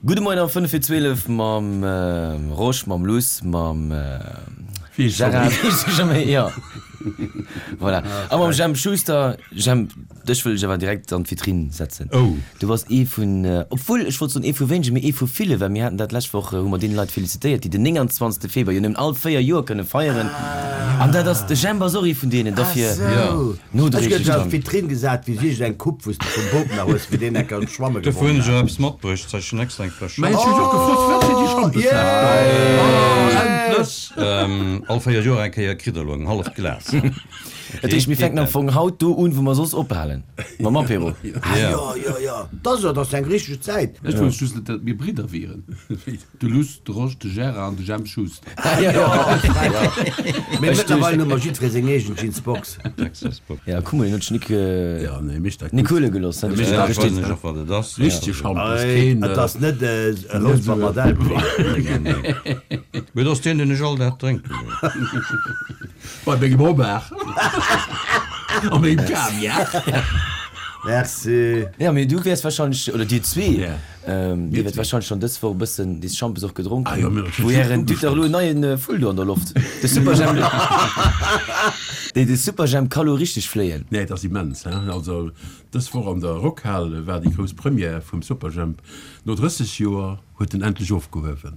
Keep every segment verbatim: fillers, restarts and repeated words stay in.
Gudde Moien am fënnef vir zwielef mam Rosch, mam Luss, mam Gérard, jo, voilà, a mam Jemp Schuster. Jemp, dech wëll ech awer direkt an d'Vitrinn setzen. Du bass ee vun, obwuel, ech wollt soen ee vu wéinegen, mee ee vu ville, well mir haten dat d'lescht Woch, hu mer deene Leit felicitéiert, déi den nénganzwanzegste Februar jo nëmmen all véier Joer kënne feieren. An dat ass, de Jemp ass och ee vun deenen, dofir nodréiglech. Ech gëtt an d'Vitrinn gesat wéi sicht eng Coupe wou s de vum Bop nach hues, wéi deen enker schwamme Dofir gewonnen hunn ech och hat. eppes matbruecht, soll ech schon extra eng Fläsch Mä ech hunn och gefrot, firwat fir déi Schampesfläsch? Endlech! All véier Joer eng Kéier kritt der elo eng halleft Glas. Dat heescht, mir fänken am Fong haut do un, wou mer soss ophalen, mam Apéro. Ah jo, jo, jo, dat ass jo, dat ass eng richteg Zäit. Ech wousst just net, datt mir Bridder wieren. De Luss, de Rosch, de Gérard an de Jemp Schuster. Mee mëttlerweil hu mer jiddweree seng eegen Jeansbox. Ja, kuck mol, hien huet sech nik nik huele gelooss. Richtege Schampes, keen. Et ass net e Rousper mat Elbwee. Mee et ass deen, deen ech all Dag drénken. Bei mengem Homard a mengem Kaviar. Merci. Ja, mee du wäers wahrscheinlech, oder dir zwee, dir wäert wahrscheinlech schonn dës Woch e bëssen dee Schampes och gedronk hunn. Wou Ären, dir hutt dach elo en neien Vull do an der Loft, de Superjhemp, dee de Superjhemp ka lo richteg fléien. Nee, et ass immens, hein. Also dës Woch an der Rockhal war déi grouss Première vum Superjhemp. No drësseg Joer huet en endlech ofgehuewen.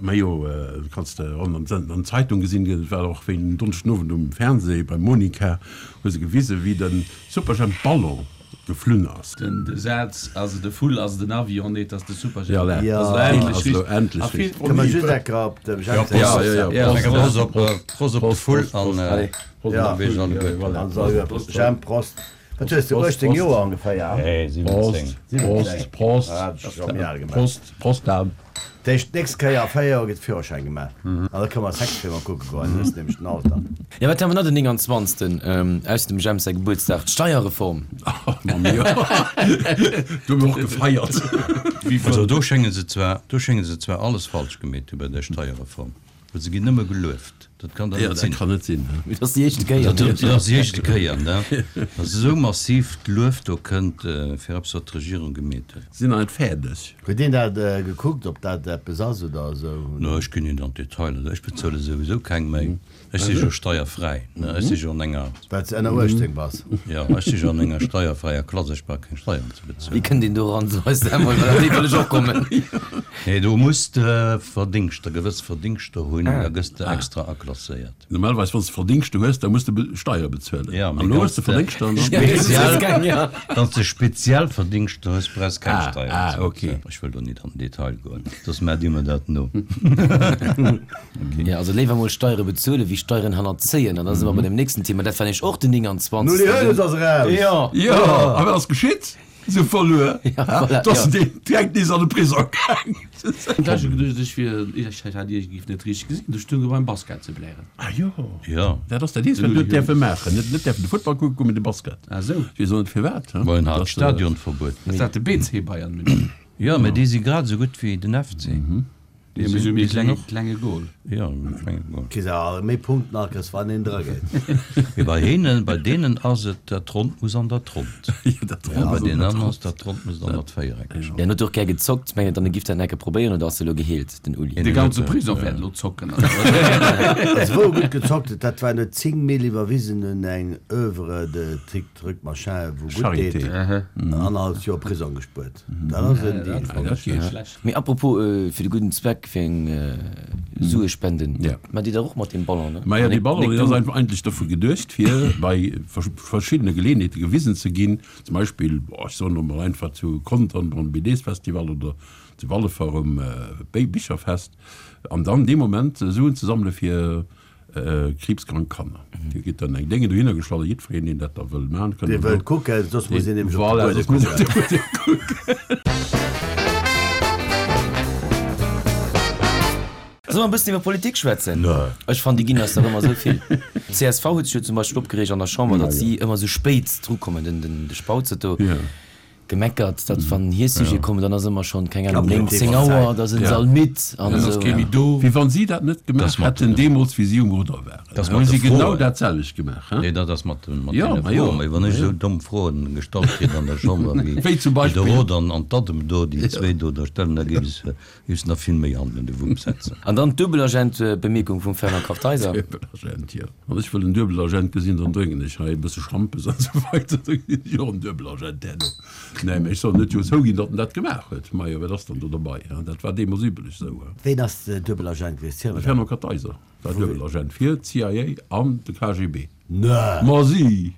Majo, kanns de och an der Zeitung gesinn, et war och wéi en Donneschden Owend um Fernseh beim Monica, hu se gewisen, wéi de Superjhemp Ballon geflunn ass. Den de Saz, Ass et e Vull, ass et en Avion? Nee, et ass de Superjhemp. Jo, ass elo endlech richtig. Kënne mer just eng Kéier op dem Jhemp säi Prost op Prost op de Vull an Prost, Jhemp, Prost. Wat hues de, uechtzéng Joer ongeféier? Nee, siwwenzéng. Prost, Prost, Prost, Prost Dan. Dat heescht, d'nächst Kéier a véier Joer gëtt Führerschäin gemaach an da kënne mer Sexfilmer kucke goen, du hues nämlech den Alter. Jo, wat hu mer nach den nénganzwanzegsten, ausser dem Jemp säi Gebuertsdag? D'Steierreform! Mamma mia, do hu mir och gefeiert. Also do schénge se zwar, do schénge se zwar alles falsch gemeet hu bei där Steierreform. Well se ginn nëmme gelueft. Dat kann dach net sinn. Dat kann net sinn. Dat ass déi éischte Kéier. Dat ass déi éischte Kéier, ne? Datt esou massiv d'Luef do kënnt fir eppes, wat d'Regierung gemeet huet. Sinn nach net fäerdeg. Huet een dat gekuckt, ob dat eppes ass oder esou? No, ech ginn net an d'Detailer. Ech bezuele souwisou keng méi. Ech si jo steierfräi, ne? Ech si jo an enger. Well s de ënner uechtzéng bass. Jo, ech si jo an enger steierfräier Klass. Ech brauch keng Steieren ze bezuelen. Wéi kënnt een do eran? So eis dat emol, well op déi wëll ech och kommen. Nee, do muss de Verdingschter, gewëss Verdingschter hunn, da gëss de extra aklasséiert. Normalerweis, wann s de Verdingschter hues, da muss de Steiere bezuelen. Ja, mee wann elo hues de s de Verdingschter an dann. speziell, wann s de speziell Verdingschter hues, brauchs keng Ah, Steieren ah, ze okay. bezuelen. Ech wëll do nit an den Detail goen, soss maacht Dir mer dat no. Ja, also léiwer mol Steiere bezuelen, wéi Steieren hannerzéien. An da si mer bei dem nächsten Thema, dat war nämlech och den Nuli nénganzwanzegsten. Hoeneß ass eraus! Jo! Jo, a wat ass geschitt? Se hu verluer, Ja, voilà, dass ja. deen direkt nees an de Prisong gaang. Ech hat geduecht, ech wier, ech hat iergendwéi net richteg gesinn, du stoung beim Basket ze blären. Ah jo, Jo. dat ass dat eenzegt, wat du net däerfe maachen. Net net däerfen de Futtball kucke goen, mee de Basket. Ah sou. Ech weess och net firwat. Ma en hat Dass, Stadionverbuet. Ass dat de B C Bayern München? Jo, mä déi si grad esou gutt wéi den F C. Déi hu méi klenge klenge Goal. Jo, méi klenge Goal. Kriss awer méi Punkten akes wann een dra geet. Mee bei hinnen, bei deenen ass et, dat Ronnt muss an dat Ronnt. Jo, dat Ronnt Bei muss an deenen dat aneren ass Ronnt. dat Ronnt muss an dat Véiereckegt. Hien huet och gär gezockt. Mengt der, en giff dat enke probéieren oder ass e lo geheelt, den Uli? De ganze Prisong wäert elo zocken. Also wou e gutt gezockt huet, dat war en huet zéng Mille iwwerwisen un eng Oeuvre de Trick Truc Machin wou gutt deet, Charité. annerhalleft Joer Prisong gespuert. Dat ass en Deal. Dat geet. Mee apropos fir de gudden Zweck, fir eng Sue spenden, Ja. maacht Dir dat och mat deem Ballon, ne? Maja, dee Nick, Ballon, Nick, deen ass du? einfach eigentlech dofir geduecht, fir bei verschiddene Geleeënheete gewisen ze ginn, zum Beispill, ech soen elo mol einfach, zu Contern beim B D-Festival oder zu Wallefer um Bicherfest, an dann dee Moment Suen ze sammele fir kriibskrank Kanner. Dir kritt dann eng Dénge dohinner gestallt a jiddwereen, deen dat da wëll maachen, kënnt Dee dann wëllt do. kucken, soss muss een nämlech op de Voilà, Buedem soss muss een op de kucken. Buedem kucken. Solle mer e bëssen iwwer Politik schwätzen? Nee. Ech fannen, déi ginn eis dach ëmmer esou vill. D'C S V huet sech jo zum Beispill opgereegt an der Chamber, datt si ëmmer esou spéit drukommen, den, den, de Spautz huet do Ja. Gemeckert, datt wann hir Sujete kommen, dann ass ëmmer schonn, keng Ahnung, néng, zéng Auer, da sinn se all midd an esou. Wéi wann si dat net gemaach hätten deemools, wéi si um Rudder waren. Da hu si genau dat selwecht gemaach. Nee, dat ass mat deene Froen. Mee wann ech esou domm Froen gestallt kritt an der Chamber wéi de Roth an d'Addem do, déi zwee do da stellen, da géif ech géif se nach vill méi hannen un de Wupp setzen. An dann d'Duebelagent-Bemierkung vum Fernand Kartheiser. Duebelagent, jo. Wann ech wëll en Duebelagent gesinn, dann drénken ech hei e bësse Schampes an esou weider, da gesinn ech och en Duebelagent herno. Nee, mä ech soll net jo zouginn, datt en dat gemaach huet. Majo, wat ass dann do derbei, hein? Dat war deemools üblech esou, hein. Ween ass Duebelagent gewiescht? De Fernand Kartheiser war Duebelagent fir d'CIA an de K G B. Nee! Ma si!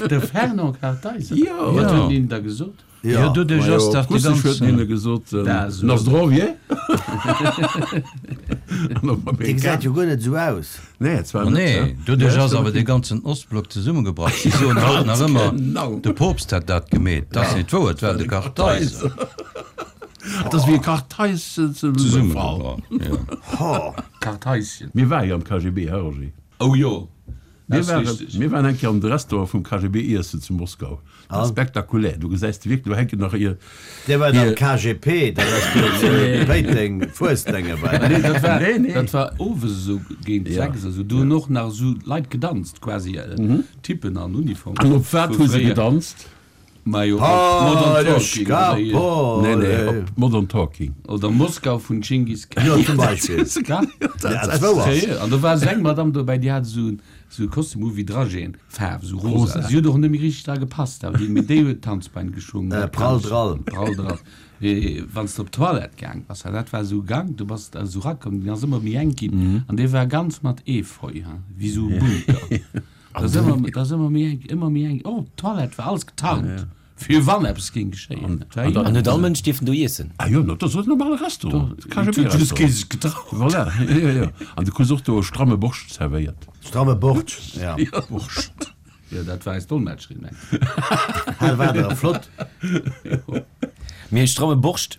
De Fernand Kartheiser? Jo! Wat huet en hinnen da gesot? Jo, doduerch ass dach déi ganz. Russesch huet hinne gesot, Na zdrowie! Dee gesäit jo guer net esou aus. Nee, zwar net. Nee, doduerch ass awer dee ganzen Ostblock zesummegebrach. Si soen haut nach ëmmer, de Poopst hätt dat gemeet. Dat ass net wouer, et war de Kartheiser. Et ass wéi e Kartheis zesummegebrach, jo. Kartheischen. Mir ware jo am K G B, he Roger? Oh jo, Mir waren, mir waren eng Kéier an de Restaurant vum K G B iessen zu Moskau. Dat ass spektakulär. Du gesäis de wierklech, do hänken nach hir. Dir waart am K G P, dat ass do zu Péiteng, Fuesdenge bei. Nee, dat war, dat war owes esou géint sechs esou. Do hunn och nach esou Leit gedanzt, quasi Typen an Uniform. An op wat hu se gedanzt? Majo, op Modern Talking oder hier. Nee, nee, op Modern Talking. Oder Moskau vun Dschingis Khan. Jo, zum Beispill. Ja, dat wou ass. Seriö, an do war esou eng Madame dobäi, déi hat esou esou e Kostüm u wéi Dragéen, Faarf, esou rosa. Si huet och net méi richteg dra gepasst, awer déi, mee déi huet d'Tanzbein geschwungen. Äh, Prall Drall. Prall Drall. Mee wann s de op d'Toilette gaang bass, dat war esou e Gank, do bass de esou rakomm, deen ass ëmmer méi enk ginn an dee war ganz mat Efeu, hein, wéi esou e Bunker. Dat ass ëmmer, dat ass ëmmer méi enk, ëmmer méi enk. Och d'Toilette war alles getarnt, fir wann eppes géing geschéien. An huet all Mënsch dierfen do iessen? Ah jo, dat ass e normale Restaurant, Huet just kee sech getraut. Voilà, jo, jo. An du krus och do e stramme Borscht zerwéiert. Stramme Borscht, ja. Borscht. Jo, dat war eis Dolmetscherin, mengen ech. Hal war der flott. Mee stramme Borscht.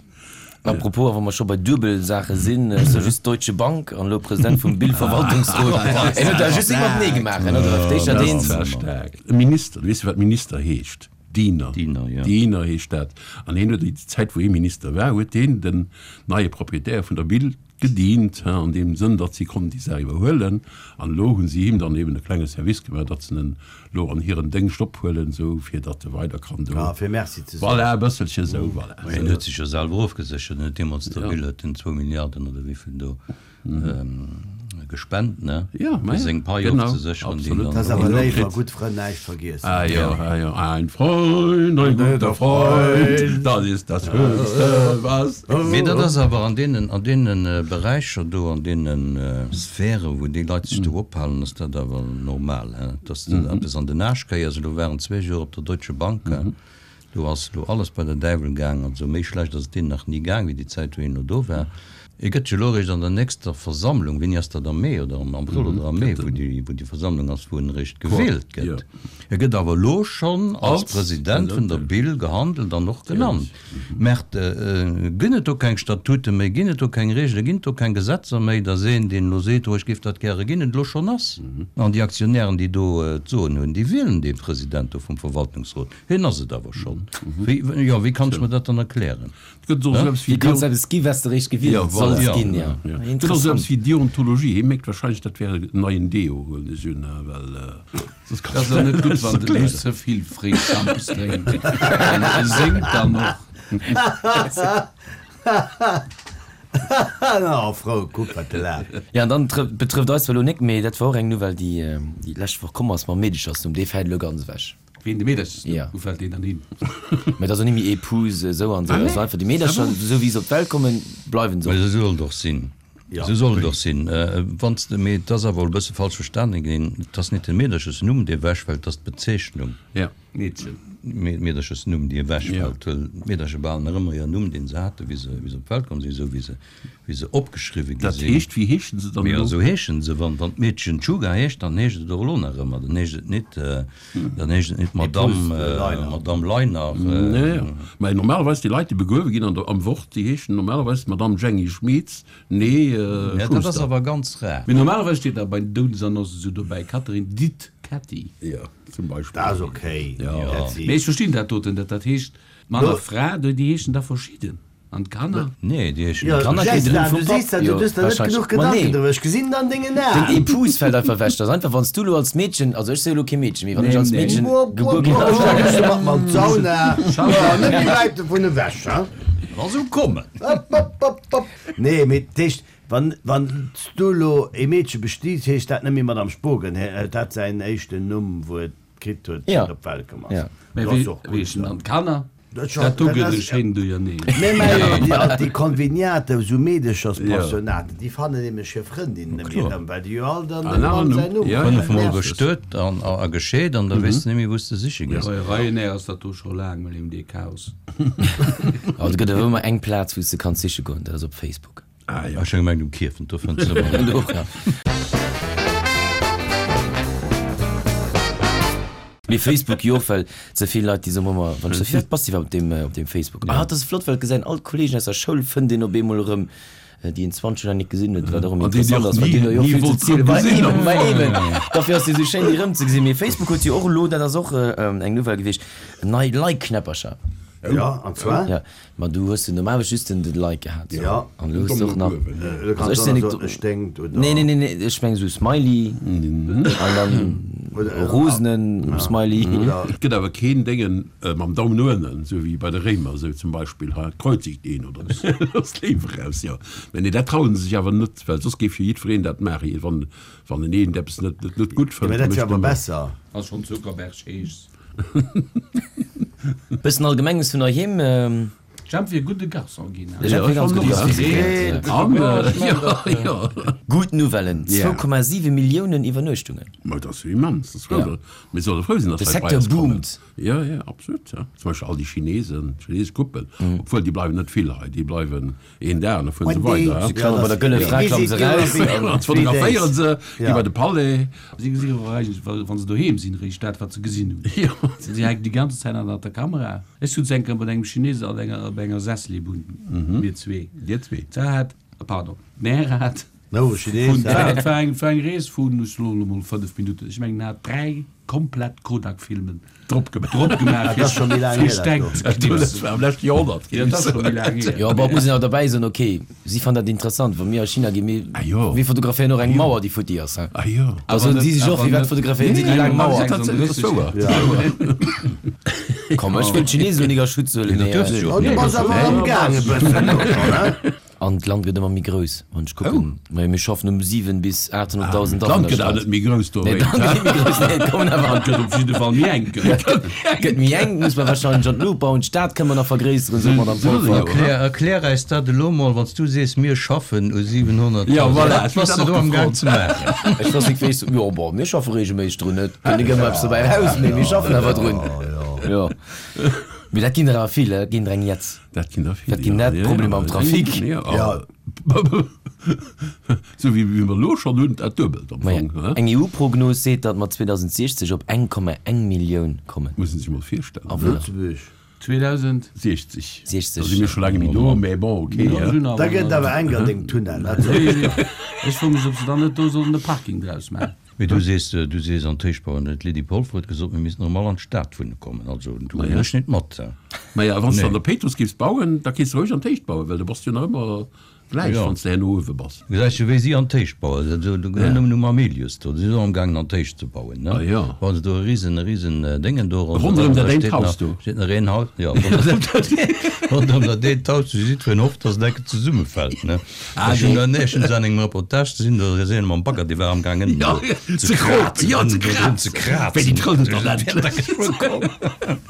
Apropos, a wa mer scho bei Duebelsaache sinn, ech soe just Deutsche Bank an elo President vum Bill-Verwaltungsrot, en huet da just eemol Nee gemaach, en huet op d'éischt dat eent. Dat war staark. E Minister, du weess jo wat Minister heescht, Diener, Diener, jo. Diener heescht dat. An hien huet déi Zäit wou hie Minister war, huet hien den neie Proprietär vun der Bill gedient, an deem Sënn, datt si konnten déi Saach iwwerhuelen. An elo hu si him dann eben e klenge Service gemaach, datt se en elo an hiren Déngscht ophuelen, esou fir datt e weider kann do. Ah, fir Merci ze soen. Voilà, e bësselche esou, voilà. Mä hien huet sech jo selwer ofgeséchert. En huet deemools der Bill huet en zwou Milliarden oder wéivill do gespent, ne? Ja, fir seng Pai ofzesécheren, déi en dann. Dat ass awer léif a gutt Frënn näischt vergiessen. Ah jo, ah jo, ein Freund, ein guter Freund, das ist das Höchste, was. Mee dat ass awer an deenen, an deene Beräicher do, an deene Sphären, wou déi Leit sech do ophalen, ass dat awer normal, hein, dass de eppes an den Aarsch kéiers. Elo waren zwee Joer op der Deutsche Bank, do ass elo alles bei der Däiwel gaang. Also méi schlecht ass et deenen nach ni gaang, wéi déi Zäit, wou hien elo do war. E gëtt jo elo eréischt an der nächster Versammlung, wéini ass dat, am Mee oder am Abrëll oder am Mee, wou déi, wou déi Versammlung ass, wou en eréischt gewielt gëtt. E gëtt awer elo schonn als President vun der Bill gehandelt an och genannt. Mä ginn et do keng Statute méi, ginn et do keng Regelen, ginn et do keng Gesetzer méi, datt een, deen elo seet, oh ech géif dat gäre ginn, et elo schonn ass? An déi Aktionären, déi do d'Soen hunn, déi wielen dee President do vum Verwaltungsrot. Hien ass et awer schonn. Wéi, jo, wéi kann ech mer dat dann erklären? Et gëtt och esou eppes wéi Wéi kanns eppes gi wat s de eréischt gewielt solls ginn, jo. Et gëtt och esou eppes wéi Deontologie. Hie mécht wahrscheinlech, dat wär en neien Deo, huelen ech un, well soss Dat ass och net gutt, wann de Luss ze vill fréi Schampes drénkt. E séngt dann och. Oh, frou, kuck wat de laacht. Jo, an dann betrëfft eis zwar elo nek, mee dat war och eng Nouvelle, déi déi lescht Woch komm ass mam Meedechersnumm, dee fält elo ganz ewech. Ween, de Meederchersnumm? Ja. Wou fält deen dann hin? Mä et ass och ni méi Épouse esou an esou, et ass einfach déi Meedercher, esou wéi se op d'Welt kommen, bleiwen se Mä och. esou soll et och sinn. Esou soll et och sinn. Wann s de, mee et ass awer e bësse falsch verstanen ginn, et ass net de Meederchesnumm, dee ewechfält, et ass d'Bezeechnung. Ja. Meedchen. Meederchesnumm, déi ewechfält, well d'Meedercher behalen nach ëmmer hiren Numm, deen se haten, wéi se, wéi se op d'Welt komm sinn, esou wéi se, wéi se opgeschriwwe gi Dat sinn. heescht, wéi heeschen se dann Mee elo? esou heeschen se. Wann, wann d'Meedchen Tschuga heescht, dann heescht et och elo nach ëmmer, dann heescht et net, dann heescht et net Madamm, Madamm Leiner. Nee, jo. Mä normalerweis déi Leit, déi begruewe ginn an der, am Wort, déi heeschen normalerweis Madamm Jenny Schmitz, nee, Ja, dat ass Schuster. awer ganz rar. Mee normalerweis steet da bei den Doudesannoncen esou dobäi, Catherine dit Ketty. Jo, zum Beispill. Dat ass ok, dat si. Mee ech verstinn dat doten net. Dat heescht, Mann a Fra, déi heeschen da verschidden. An d'Kanner? Nee, déi heeschen. Jo, D'Kanner kritt den Jester, Numm du vum Papp. sees dat, du Jo, hues der net wahrscheinlech. genuch Ma Gedanken nee. driwwer. Ech gesinn et an dengen Den Aen. Épouse fält einfach ewech. Dat ass einfach, wann s du elo als Meedchen, also ech si jo elo kee Meedchen méi, wann Nee, ech als nee. Meedchen Wupp, gebuer wupp, ginn wupp, ass. da gehst du mat mer an d'Sauna. Jo, net méi wäit dovun ewech, hein? Lass esou kommen. Hopp, hopp, hopp, hopp. Nee, mee dat heescht, wann, wann s du elo e Meedche bestiets, heescht dat net méi Madame Spogen, hie huet dat säin éischten Numm, wou et kritt huet, wéi Ja. et op d'Welt komm ass. Ja. Mä Dat wéi, ass och wéi gutt, heeschen ja. dann d'Kanner? Dat scho, Dat do dat gëtt e ass, schéinen Duerjerneen. Mir maachen jo déi all déi Konveniaten, esou Meedecherspensionaten, déi fannen nämlech hir Frëndin net méi erëm, well déi jo all dann dem Mann säin Numm Ja, Fënnef hunn. Mol Nerveg. bestuet an a gescheet an da weess de net méi, wou s de siche gees. Bei Ryanair ass dat do scho laang mat deem dee Chaos. Aber et gëtt awer ëmmer eng Plaz, wou s de kanns siche goen, dat ass op Facebook. Ah jo. Ech hu gemengt um Kierfent, do fënns de ëmmer. Och, ja. Mee Facebook jo, well ze vill Leit déi soen ëmmer, wann ech sou, firwat bass de iwwerhaapt op deem, op deem Facebook? Ah, dat ass flott, well et gesäit all d'Kollegen aus der Schoul fënnt een op eemol erëm, déi een zwanzeg Joer net gesinn huet, wat och erëm An déi interessant dir ass, och well ni, déi hunn jo ni vill ze wollt zielen. erëm Ma gesinn eben, am ma Fong. eben. Dofir ass et esou schéin, déi erëmzegesinn. Mee Facebook huet jo och elo, dat ass och eng Nouvelle gewiescht, nei Like-Knäppercher. Ja, an zwar? Ja, ma du hues jo normalerweis just den Like gehat. So. Ja. An elo hues du och nach. Du Also kanns ech och sinn nach net. soen, e sténkt oder. Nee, nee, nee, nee, ech meng esou Smiley an dann Oder, rosenen Smiley. Oder. Et gëtt awer keen Déngen mam Daumen no ënnen, esou wéi bei de Réimer esou zum Beispill, ha kreuzigt een oder ass d'Léiw eraus, jo. Mä nee, dat trauen se sech awer net, well soss géif jo jiddwereen dat maachen, wann, wann en eent eppes net, net, net gutt Ja, fënnt, mä da dat wier mécht awer en ëmmer. besser. Ass schonn Zuckerberg heescht. Bëssen Allgemenges vun heiheem. Jemp wier gudde Garçon ginn. De Jemp wier ganz gutt Garçon. Gutt Nouvellen, zwou Komma siwe Milliounen Iwwernuechtungen. Ma dat ass jo immens, dat ass frou. Mir solle frou sinn, De datt Leit bei Secteur eis kommen. boomt. Jo, jo, absolut, jo. Zum Beispill all déi Chinesen, chinesesch Koppel, obwuel déi bleiwen net vill hei, déi bleiwen een Dag an da fueren se weider. Si klammen bei der Gëlle Fra klamme se raus. An fotograféieren se, gi bei de Palais. Si gesinn awer eigentlech, wa se doheem sinn, eréischt dat, wat se gesinn hunn. Si hänken déi ganze Zäit an der Kamera. Ech sutz eng Kéier mat engem Chines an enger, op enger Sesselibunn, mir zwee. Dir zwee? Da hat, pardon, d'Mär hat No, Chines, vun, dat war eng, war eng Rees vun, ech soen elo mol fënnef Minutten, ech mengen, en hat dräi komplett Kodak-Filmen drop gemaach, drop gemaach, Dat ass scho méi laang fir hier, dat Stäng do. ze knipsen. Dat war am leschte Joerhonnert. Ja, dat ass scho méi laang hier. Jo, awer et muss een awer derbäi soen, ok, si fannen dat interessant, wa mir a China ginn, mir, Ah jo. mir fotograféieren och eng Mauer, déi futti ass, hein. Ah jo. Da soen si sech och, firwat fotograféieren si déi laang Mauer? Dat ass wouer. Komm, ech wëll d'Chinesen elo nik a Schutz huelen, mee. Oh, du bass awer am Gaang e bëssen elo schonn, hein? An d'Land gëtt ëmmer méi grouss, wann ech kucken. Majo, mir schaffen um siwen bis aathonnertdausend D'Land Awunner gëtt awer Stad. net méi grouss Nee, dowéinst, d'Land gëtt net méi grouss, nee, et kommen awer. D'Land gëtt op jidde Fall méi enk. Gëtt méi enk, muss mer wahrscheinlech an d'Luucht bauen. D'Stad kënne mer nach vergréisseren, sot d'Madame Polfer. Erklär, erklär eis dat elo mol, wann s du sees, mir schaffen u siwenhonnertdausend. Ja, voilà, Wat bass de do am Gaang ze maachen? Ech weess net, wéi ech so, jo, bon, mir schaffe regelméisseg drun, et kënnt net ëmmer eppes dobäi eraus, mee mir schaffen awer drun. Jo. Mee dat ginn der awer vill, dat ginn der eng Jetz. Dat ginn der vill, Dat ginn ja. net Problemer am Trafic. Ja, ja. Sou wéi mer elo schonn hunn, dat duebelt am Maja, Fong, he? eng E U-Prognos seet, datt mer zweedausendsechzeg op eng Komma eng Millioun kommen. Muss een sech mol virstellen. Awunner. Lëtzebuerg. zweedausendsechzeg. Sechzeg. Da si mir scho laang méi do, mä bon, okay. Ja, sinn awer Da gëtt nach- awer enk an dengem Tunnel, dat soll ech dir. Ech froe mech, ob se dann net do sollen e Parking draus maachen. Mee du sees, du sees an d'Héicht bauen. D'Lydie Polfer huet gesot, mir missten erëm all an d'Stad wunne kommen. Also do hunn ech net mat. Maja, wann s de Nee. an der Péitruss giffs bauen, da kéints de roueg an d'Héicht bauen, well du bass jo nach ëmmer gläich, Ja. wann s de herno uewe bass. Gesäis du, wéi si an d'Héicht bauen? Also do gëtt nëmmen um Amelius do, déi sinn och amgaangen an d'Héicht ze bauen, ne? Ah ja. Bauen se do e risen, e risen Déngen do ronderëm. Ronderëm Da dat eent steet Haus nach, do. steet nach een Haus, ja, ronderëm dat ronderëm dat eent Haus, wou jiddwereen hofft, dass et enke zesummefält, ne? Ah, Ech hunn nee. dann éischtens an engem Reportage gesinn, do ass een mam Bagger, dee war amgaangen Ja, do ze krazen, ja, ze do drun ze krazen. krazen. Wéi déi trëllen dann Wéi endlech. da geschwë komm.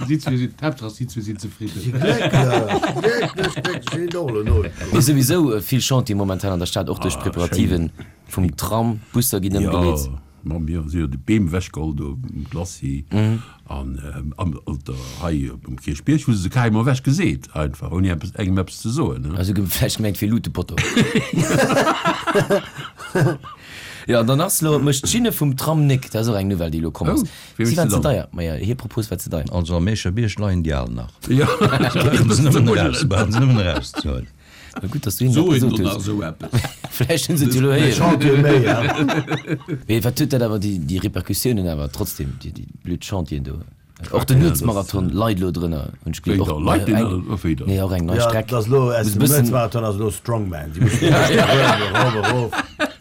Si zwee sinn, d'Haaptsaach si zwee sinn zefridden. Glécklech, glécklech, glécklech, sinn och elo no. Mee souwisou vill Chantier momentan an der Stad, och duerch d'Preparativen vum Tram, Busser ginn ëmgeleet. Jo, ma mir si jo de Beem ewechgeholl do um Glacis an an der hei um Kierchbierg hu se se carrément ewech geseet einfach, ouni eppes engem eppes ze soen, ne. Also vläicht gemengt fir Lutepotto. Jo, an dann ass elo, mécht d'Schinne vum Tram Néck, dat ass och eng Nouvelle, déi elo komm ass. Oh, wéi Si méchs waren de ze dann? deier. Maja, hir Propos war ze deier. Also am Meecher Bierg leien déi al nach. Jo, Brauchen se nëmmen eraus, brauchen se nëmmen erauszehuelen. Mä gutt, dass du hinnen dat So een gesot oder hues. esou eppes. Vläicht hunn se et jo elo héieren. Chantier méi, ja. Mee wat huet dat awer, déi, déi Repercussiounen awer trotzdem, déi, déi blöd Chantieren do? Och den Nuetsmarathon leit elo drënner, hunn ech Wéi gelies. da? Och Leit deen eng, a wéi da? nee, och eng nei Ja, Streck. dat ass elo aus Muss dem bëssen. Nuetsmarathon ass elo Strongman. Déi mussen erof, erof, erof.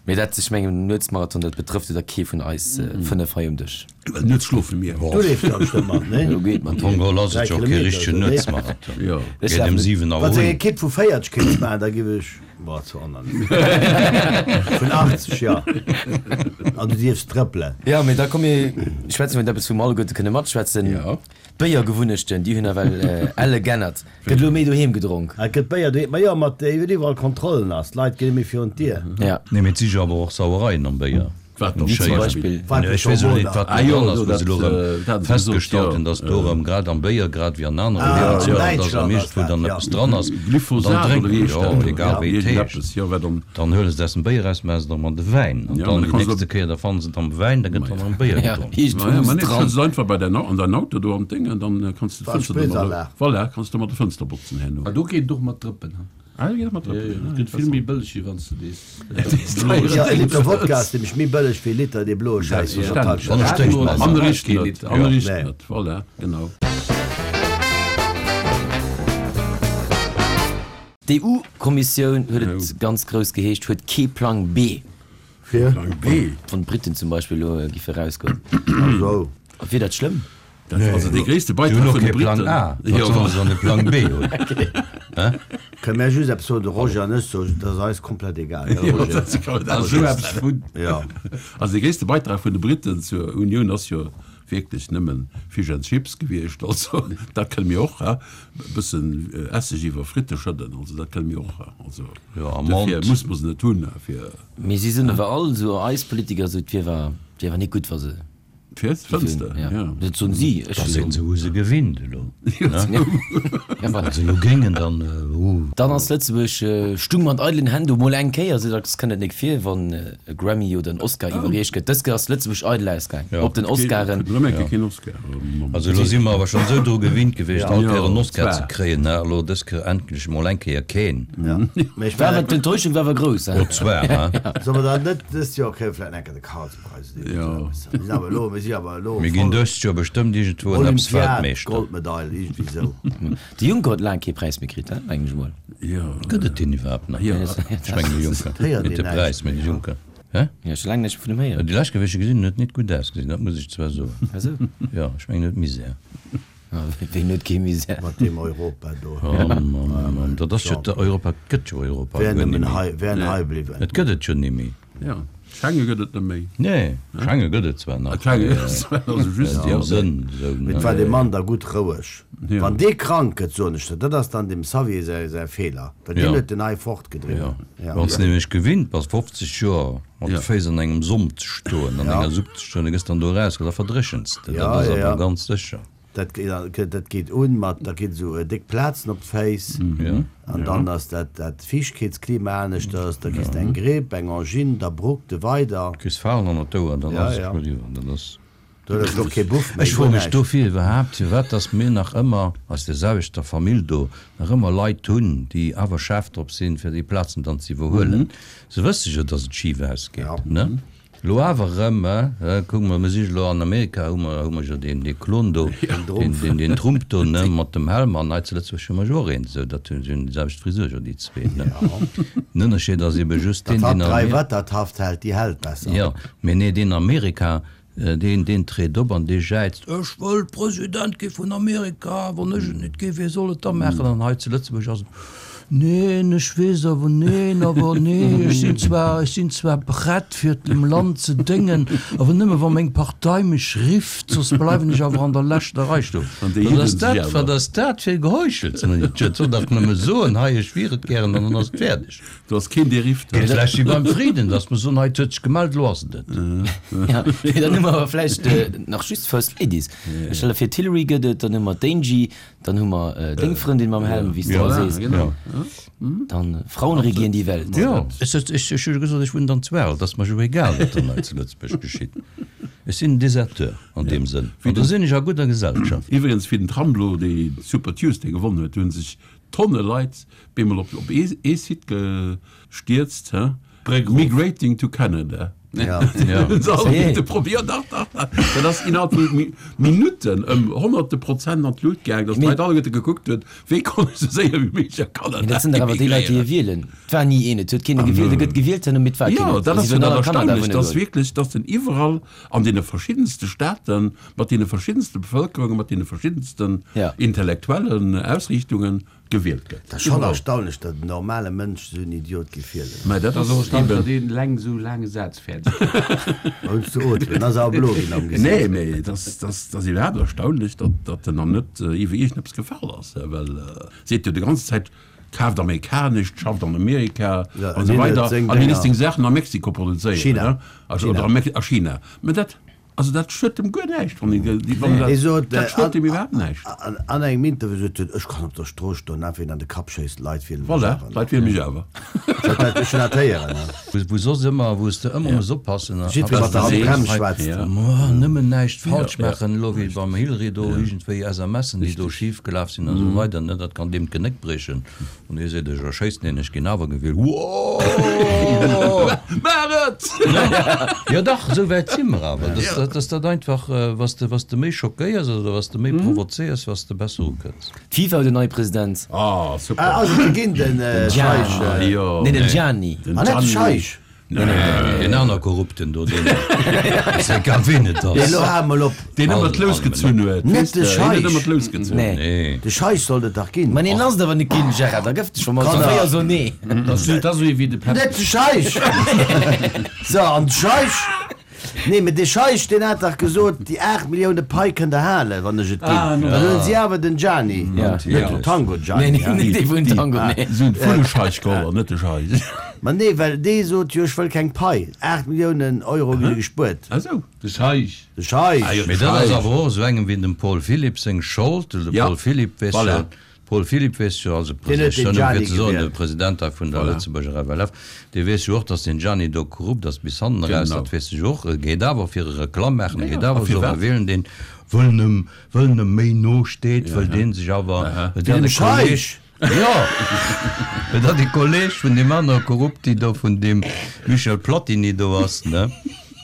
Mee dat, ech mengen, Nuetsmarathon, dat betrëfft jo da kee vun eis fënnef hei um Dësch. Well nuets schlofe mir. Du leefs da bestëmmt mat, nee? Jo, geet mat. Am Fong geholl ass Dräi et jo kee Kilometer, richtegen nee? Nuetsmarathon. Jo. Ech Geet ëm lafen. siwen Auer Wann s eng un. Ekipp vu véierteg kéints maachen, da giff ech, boah, zu onangenehm. Vun achtzeg, jo. An du dierfs trëppelen. Ja, mee da komm mir schwätzen iwwer eppes, wou mer alleguerte kënne matschwätzen. Ja. D'Béiergewunnechten, déi hunn ewell elle g'ännert. Gëtt elo méi doheem gedronk. Et gëtt Béier doheem, ma jo, mat iwwer iwwerall Kontrollen ass. D'Leit ginn net méi virun d'Dier. Ja. Nee, mee et si jo awer och Sauereien am Béier. Wat dann Wéi zum zum Beispill? Beispill? Nee, ech weess elo net, wat Ah do jo, dran ass, do, wou se dat, elo äh, erëm dat ass festgestallt gesot, hunn, jo. dass do erëm grad am Béier, grad wéi an anere Ah, an Liewensmëttelen, dass Däitschland am ass iergendwou dat, dann ja. eppes dran ass. An dann Glyphosat oder drénken, wéi heescht jo, dat do? egal Ja, wéi et heescht. iergendeppes, jo, wat dann. Dann huele se et aus dem Béier eraus, maache se et erëm an de Wäin. An Ja, dann ma da déi kanns du nächste Kéier, da fanne se et am Wäin, da gëtt dann am Béier Ja, gedronk. iergendwou Ma ja, muss ma et nee, dran. schëtts et einfach bei däin, an däin Auto do an d'Déng an dann kanns du War d'Fënster domadder, Spritzanlag. voilà, kanns du mat der Fënster botzen herno. Ah, do geet et och mat Drëppen, ha? Ah, do geet et mat Drëppen, Ja, ja, et gëtt vill méi bëlleg, wéi wann s du dees Ja, e Liter Wodka ass nämlech méi bëlleg wéi e Liter dee bloe Schäiss vun der Selbstverständlech. Tankstell. Wann ech drénkt manner. Aner richt net, aner richt Nee. net, voilà, genau. D'EU-Kommissioun huet et ganz grouss geheescht, huet kee Plang B. Fir? Plang B? Wann d'Briten zum Beispill elo giffe erausgoen. Ach sou. Wier dat schlëmm? Dat ass also dee gréisste Si hunn Beitrag och vun de kee Plang Briten. A. Wat Jo, solle se dann e Plang B hunn? Kënne mär just eppes soen, de Roger an ech, so, dat ass eis komplett egal, gell Jo, Roger? dat ass komplett Also egal. eppes vun. Jo. Also dee gréisste Beitrag vun de Briten zur Unioun ass jo wierklech nëmmen Fish and Chips gewiescht. Also dat kënne mir och, ha? E bëssen Esseg iwwer Fritte schëdden, also dat kënne mir och, ha? Also Jo, am dofir Mond. muss mer se net hunn, ha, fir. Mee si sinn awer all esou eis Politiker, esou et wier awer, et wier awer net gutt, wa se. Fir d'Fënster, Ja. ja. Dat soen si, ech Da sinn se hu se gewinnt elo. Ja, Wann se elo géingen, dann uh. Dann ass Lëtzebuerg stung mat eidelen Hänn do mol eng Kéier, sou dacks kënnt et nik vir, wann e Grammy oder en Oscar iwwerreecht gëtt. Dës Kéier ass Lëtzebuerg eidel ausgaang Ja. op den Oscaren. Kritt rëm eng Kéier keen Oscar. Also elo si mer awer schonn esou dru gewinnt gewiescht, all Ja, Kéier en Oscar zwar. ze kréien, ne? Elo dës Kéier endlech mol eng Kéier keen. Ja. Mee ech War mengen, awer d'Enttäuschung war awer grouss, hein? Oh zwar, hein? solle mer dann net dëst Joer kréie vläicht eng Kéier de Karlspreis oder Ja. iergendwou eppes. Mir sinn awer elo, mir si awer elo Mir ginn voll dëst Joer bestëmmt iergendwou en eppes Olympiad, Weltmeeschter. Goldmedail, iergendwéi sou. De Juncker huet laang kee Präis méi kritt, hein, mengen ech mol. Ja. Gëtt et deen iwwerhaapt nach? Ja. Ech mengen de Juncker. Héiert Net een de näischt Präis, mee méi, de ja. Juncker. Hä? Ja, scho laang näischt méi vun em héieren. Déi lescht Kéier, wéi ech e gesinn hunn, huet net gutt ausgesinn, dat muss ech zwar soen. Ah sou? Ja, ech mengen, en huet Misär. Ah, ween huet kee Misär? Mat deem Europa do. Oh Mann, oh Mann, dat ass jo, Europa gëtt jo Europa Wär guer nëmmen net méi. hei, wär hei bliwwen. Et gëtt et jo net méi. Ja, Schengen gëtt et net méi. Nee, Schengen gëtt et zwar nach. Schengen gëtt et zwar nach, also just An deem Sënn esou, Mee ne? et war dee Mann da gutt roueg. Ja. Wann dee krank gëtt, soen ech der, dat ass dann dem Xavier säi, säi Feeler, well deen Ja. huet den hei fortgedriwwen. Ja. Ja. Wann s de nämlech gewinnt bass, fofzeg Joer mat de Ja. Féiss an engem Somp ze stoen, an Ja. enger Supp ze stoen, da gëss dann do eraus, da verdréchens de. Ja, Dat ass ja, awer ja. ganz sécher. Dat, dat geet un mat, da ginn esou déck Plazen op d'Féiss Ja. an dann ass dat, dat Fiichtkeetsklima aneschters, da kriss de eng Gripp, eng Angine, da bruckt de weider. Kriss Falen an d'Ouer, dann Ja, ass et ja. scho eriwwer. Dat ass. Do huet ech och kee Buff méi, Ech froe guer mech näischt. dofir iwwerhaapt, firwat dass mir nach ëmmer aus der selwechter Famill do nach ëmmer Leit hunn, déi awer schaarf drop sinn, fir déi Plazen dann ze iwwerhuelen. Se wësse jo, dass et schif ausgeet, Ja. ne? Lo awer erëm, eh, kucke mer, mir si lo an Amerika, hu mer, hu mer jo deen, dee Klon do, deen, deen, deen Trump do, ne, mat dem Helm, an hei zu Lëtzebuerg hu mer jo och een, sou dat hunn, si hunn déi selwecht Frisur jo, déi zwee, ne. Den Ënnerscheed ass ebe just Dat deen, hatt deen dräi Amer. Wettertaft hält, déi hält besser. Jo, mee nee, deen Amerika, deen, deen treet op an dee jäizt, Ech wëll President gi vun Amerika, wann ech et net gi, wie soll et da maachen? An hei zu Lëtzebuerg ass et, Neen, ech weess awer, neen, awer nee, ech sinn zwar, ech sinn zwar prett fir dem Land ze déngen, awer nëmme wa meng Partei mech rifft, soss bleiwen ech awer an der leschter Rei stoen. An déi Wat hidden ass sech dat, awer. wat ass dat fir Geheuchels? Et soll dach nëmme soen, hei, ech wier et gären, an dann ass et fäerdeg. Do ass keen dee rifft. Geet vläicht wéi beim Frieden, dass mer soen, hei, et huet sech gemellt, elo ass et et. Ja, mee dann hu mer awer vläicht nach just First Ladies. Ech stelle vir, d'Hillary gëtt et, dann hu mer d'Angie, dann hu mer deng Frëndin mam Helm, wéi s de Voilà, ëmmer sees. genau. Dann Frauen regieren die Welt. Jo, ech ech ech hu jo gesot, ech wunnen dann zu Werl, et ass mer jo egal, wat dann hei zu Lëtzebuerg geschitt. Ech sinn en Deserteur an deem Sënn. An do sinn ech a gudder Gesellschaft. Iwwregens, wéi den Trump elo de Super Tuesday gewonnen huet, hu sech Tonne Leit bemol op op ee ee Site gestierzt, hä? Bréck erof. Migrating to Canada. Ja. Ja. Probier, dach, dach, dach. Dat ass innerhalb vu Mi Minutten ëm honnerte Prozent an d'Lut gaang, dass d'Leit alleguerte gekuckt hunn, wéi konnt ech sou séier wéi méiglech a Kanada Mee dat sinn dach awer déi Leit, déi e wielen. Et war ni een, et huet keen e gewielt, e gëtt gewielt herno, mee et war keen. Jo, dat Si ass jo wëllen dat all a Kanada Erstaunlecht, wunne dass goen. wierklech, dass den iwwerall an deene verschiddenste Staaten, mat deene verschiddenste Bevëlkerungen, mat deene verschiddensten Ja. intellektuellen Ausriichtungen gewielt gëtt. Dat ass schonn erstaunlech, datt en normale Mënsch esou en Idiot géif wielen. Mä dat Dat ass ass och erstaunlech, eben. datt een eleng esou laange Saz fäerdeg kritt. Hues du Otmen, ass awer blo ginn am Gesicht. Nee, mee et ass, et ass, et ass iwwerhaapt erstaunlech, datt, datt en dann net iwwer iergendeppes gefall ass, well seet jo déi ganze Zäit, kaaft amerikanescht, schafft an Amerika Ja, an esou an hien huet weider, seng an hien Dénger. ass seng Saachen a Mexiko produzéieren, China. ne? Also, China. oder a Mex-, a China. Mä dat, also dat schuet em guer näischt, wann een, wann Hie dat, sot, dat schuet an, em iwwerhaapt näischt. an, an engem Interview sot hien, ech kann op der Strooss stoen, einfach een an de Kapp schéissen, d'Leit wielen mech Voilà, awer. d'Leit wiele mech awer. Sot dat, ech hunn dat héieren, ne? Wou, wou soss ëmmer, wou s de ëmmer muss oppassen, a, Jiddweree mat der a, Handbrems hei, schwätzt. Ja. Ma, nëmmen näischt falsch Ja, ja. maachen, elo wéi beim Hillary do, iergendwéi SMSen, déi do schif gelaf sinn a sou weider, ne, dat kann deem d'Genéck briechen. An hie seet, ech erschéissen deen, ech ginn awer gewielt. Woooo! Maach et! Jo dach, esou wäit si mer awer, dass dat, dass dat einfach, was de, was de méi schockéiers oder was de méi provozéiers, was de besser ukënns. D'FIFA huet en neie President. Ah, super. Ah, ass et de ginn, den Gianni. Scheich? Jo. Nee, den Gianni. Den Ah, net de Gianni. Scheich? Deen aner Korrupten do, deen, ass egal ween et ass. Nee, elo hal mol op. Deen ëmmer d'Lous gezunn huet. Net Weess de de, hien huet Scheich. ëmmer d'Lous gezunn. Nee. Nee. De Scheich sollt et dach ginn. Ma neen, ass et awer net ginn, Gérard, da gëff dech scho mol Kanner. véier so nee. Dat ass dat ass esou ee wéi de Pep. Net de Scheich! So, an de Scheich, nee, mee de Scheich, deen hat dach gesot, déi aacht Millioune Pai kënnt der halen, wann ech et ginn. Ah, no. Dann hunn si awer den Gianni, Ja. net den Tango Nee, Gianni. nee, net dee vun Tango, nee. Si hunn d'Vullescheich geholl an net de Scheich. Ma nee, well dee sot jo, ech wëll keng Pai. Aacht Milliounen Euro gi gespuert. Ah sou. De Scheich. De Scheich. Ah jo, Mee dat ass awer och esou engem wéi dem Paul Philipp seng Schold. De Ja. Paul Philipp weess Voilà. jo, Paul Philipp weess jo, also Deen huet den President, Gianni fir ze soen, de gewielt. President hei vun der Voilà. Lëtzebuerger F L F, dee weess jo och, datt den Gianni do korrupt ass bis hannen eraus, Genau. dat weess ech och. E geet awer fir e Reklamm maachen, e Ja, geet a awer soen, firwat? mir wielen deen, wëll em, wëll em méi no steet, wëll deen sech awer, wëll Wéi dat dem e Kolleg, Scheich. Jo, wëll dat e Kolleg vun deem anere Korrupti do, vun deem Michel Platini do ass, ne?